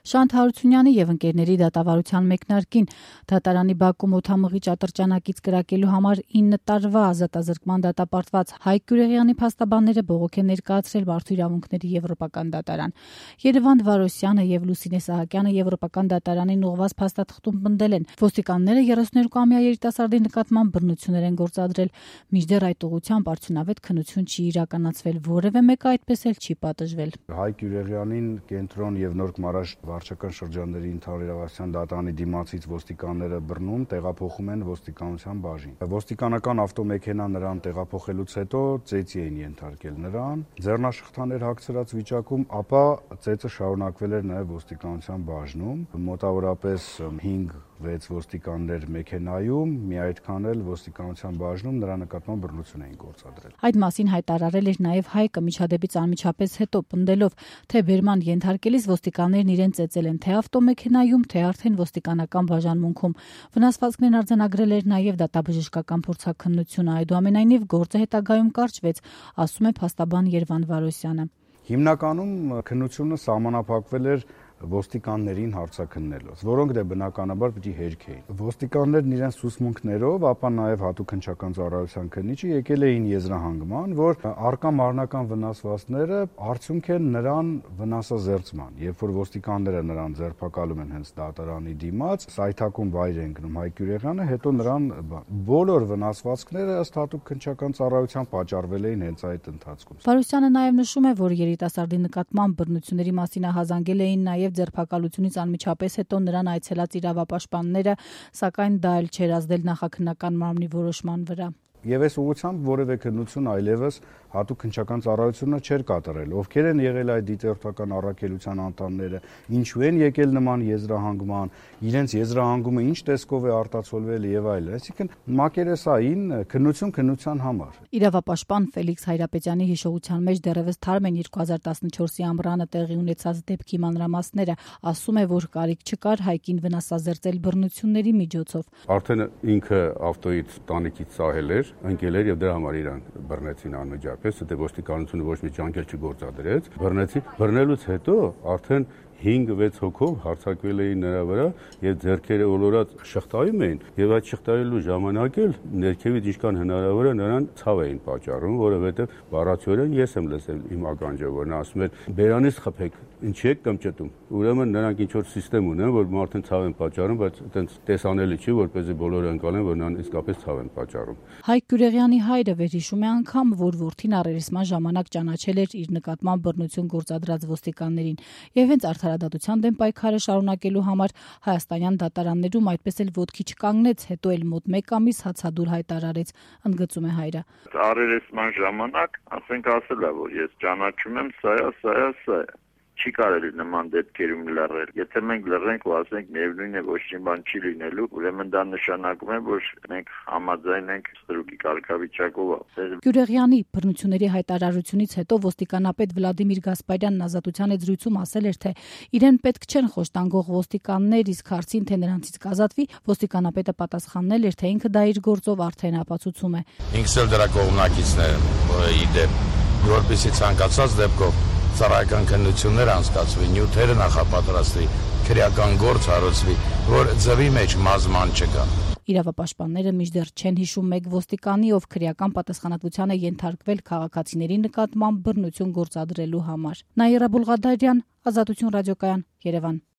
Շանթ Հարությունյանի եւ ընկերների դատավարության մեկնարկին դատարանի Բաքու մոթամղիչ ատրճանակից կրակելու համար 9 տարվա ազատազրկման դատապարտված Հայկ Գյուրեղյանի փաստաբանները բողոք են ներկայացրել Մարդու իրավունքների եվրոպական դատարան։ Երևան Վարոսյանը եւ Լուսինե Սահակյանը եվրոպական դատարանին ուղղված փաստաթղթում պնդել են, ոստիկանները 32-ամյա երիտասարդի նկատմամբ բռնություններ են գործադրել, մինչդեռ այդ ուղղությամբ արդյունավետ քննություն չի իրականացվել, որևէ մեկը այդպես էլ չի պատժվել։ Հայկ Գյուրեղյանին կենտրոն եւ Նոր Մարաշ վարչական շրջանների ընդհանրավետարան դատարանի դիմացից ոստիկանները բռնում տեղափոխում են ոստիկանության բաժին։ Ոստիկանական ավտոմեքենան նրան տեղափոխելուց հետո ծեծի էին ենթարկել նրան, ձեռնաշխտաներ հագցրած վիճակում, ապա ծեծը շարունակվել էր նաեւ ոստիկանության բաժնում, մոտավորապես 5-6 ոստիկաններ մեքենայում, մի այդքան էլ ոստիկանության բաժնում նրա նկատմամբ բռնություն էին գործադրել։ Այդ մասին հայտարարել էր նաեւ Հայկը միջադեպից անմիջապես հետո, պնդելով, թե բերման ենթարկելիս ոստիկաններն իրեն ծեծել են թե ավտոմեքենայում, թե արդեն ոստիկանական բաժանմունքում։ Վնասվածքներն արձանագրել էր նաեւ դատաբժշկական փորձաքննությունը, այդուամենայնիվ գործը հետագայում կարճվեց, ասում է փաստաբան Երևան Վարոսյանը։ Հիմնականում քննությունը սահմանափակվել էր ոստիկաններին հարցաքննելով, որոնք դե բնականաբար պիտի հերքեին։ Ոստիկաններն իրենց ցուցմունքներով, ապա նաև հատուկ քննչական ծառայության քննիչը եկել էին եզրահանգման, որ արկա մարմնական վնասվածքները արդյունք են նրան վնասազերծման։ Երբ որ ոստիկանները նրան ձերբակալում են հենց դատարանի դիմաց, սայթակում վայր են գնում Հայկ Գյուրեղյանը, հետո նրան բոլոր վնասվածքները ըստ հատուկ քննչական ծառայության պատճառվել էին հենց այդ ընթացքում։ Վարոսյանը նաև նշում է, որ երիտասարդի նկատմամբ բռնությունների մասին ահազանգել էին նաև ձերբակալությունից անմիջապես հետո նրան այցելած իրավապաշտպանները, սակայն դա էլ չէր ազդել նախաքննական մարմնի որոշման վրա։ Եվ այս ուղղությամբ որևէ քննություն այլևս հատուկ քննչական ծառայությունը չէր կատարել։ Ովքեր են եղել այդ դիտորդական առաքելության անդամները, ինչու են եկել նման եզրահանգման, իրենց եզրահանգումը ինչ տեսքով է արտացոլվել եւ այլն։ Այսինքն մակերեսային քննություն քննության համար։ Իրավապաշտպան Ֆելիքս Հայրապետյանի հիշողության մեջ դեռևս թարմ են 2014-ի ամռանը տեղի ունեցած դեպքի մանրամասները, ասում է, որ կարիք չկար Հայկին վնասազերծել բռնությունների միջոցով։ Արդեն ինքը ավտոյից տանիքից սահել էր, ընկել էր եւ դրա համար իրան բռնեցին անմիջապես, դե ոստիկանությունը ոչ մի ջանքեր չգործադրեց, բռնելուց հետո արդեն 5-6 հոգով հարձակվել էին նրա վրա եւ ձեռքերը ոլորած շղթայում էին եւ այդ շղթայելու ժամանակ էլ ներքևից ինչքան հնարավոր է նրան ցավ էին պատճառում, որովհետեւ բառացիորեն ես եմ լսել իմ ականջով, որ նա ասում էր բերանից խփեք, ինչի եք կմճտում։ Ուրեմն նրանք ինչ որ համակարգ ունեն, որ մարդուն ցավ են պատճառում, բայց այտենց տեսանելի չի, որպեսզի բոլորը ընկալեն, որ նրան իսկապես ցավ են պատճառում։ Հայկ Գյուրեղյանի հայրը վերհիշում է անգամ, որ որդին առերեսման ժամանակ ճանաչել էր իր նկատմամբ բռնություն գործադրած ոստիկաններին եւ հենց արդարադատության դեմ պայքարը շարունակելու համար հայաստանյան դատարաններում այդպես էլ ոտքի չկանգնեց, հետո էլ մոտ 1 ամիս հացադուլ հայտարարեց, ընդգծում է հայրը։ Առերեսման ժամանակ ասենք ասել է, որ ես ճանաչում եմ սա է։ Չի կարելի նման դեպքերում լռել։ Եթե մենք լռենք ու ասենք միևնույն է ոչ մի բան չի լինելու, ուրեմն դա նշանակում է, որ մենք համաձայն ենք ստրուկի կարգավիճակով։ Գյուրեղյանի բռնությունների հայտարարությունից հետո ոստիկանապետ Վլադիմիր Գասպարյանն ազատության զրույցում ասել էր, թե իրեն պետք չեն խոշտանգող ոստիկաններ, իսկ հարցին, թե նրանցից կազատվի, ոստիկանապետը պատասխանել էր, թե ինքը դա իր գործով արդեն ապացուցում է։ Ինքս էլ դրա կողմնակիցն եմ իդեպ, որպեսզի ցանկացած դեպքով ծառայական քննություններ անցկացվի, նյութերը նախապատրաստվի, քրեական գործ հարուցվի, որ ձվի մեջ մազման չկա։ Իրավապաշտպանները մինչդեռ չեն հիշում մեկ ոստիկանի, ով քրեական պատասխանատվության է ենթարկվել քաղաքացիների նկատմամբ բռնություն գործադրելու համար։ Նաիրա Բուլղադարյան, Ազատություն ռադիոկայան, Երևան։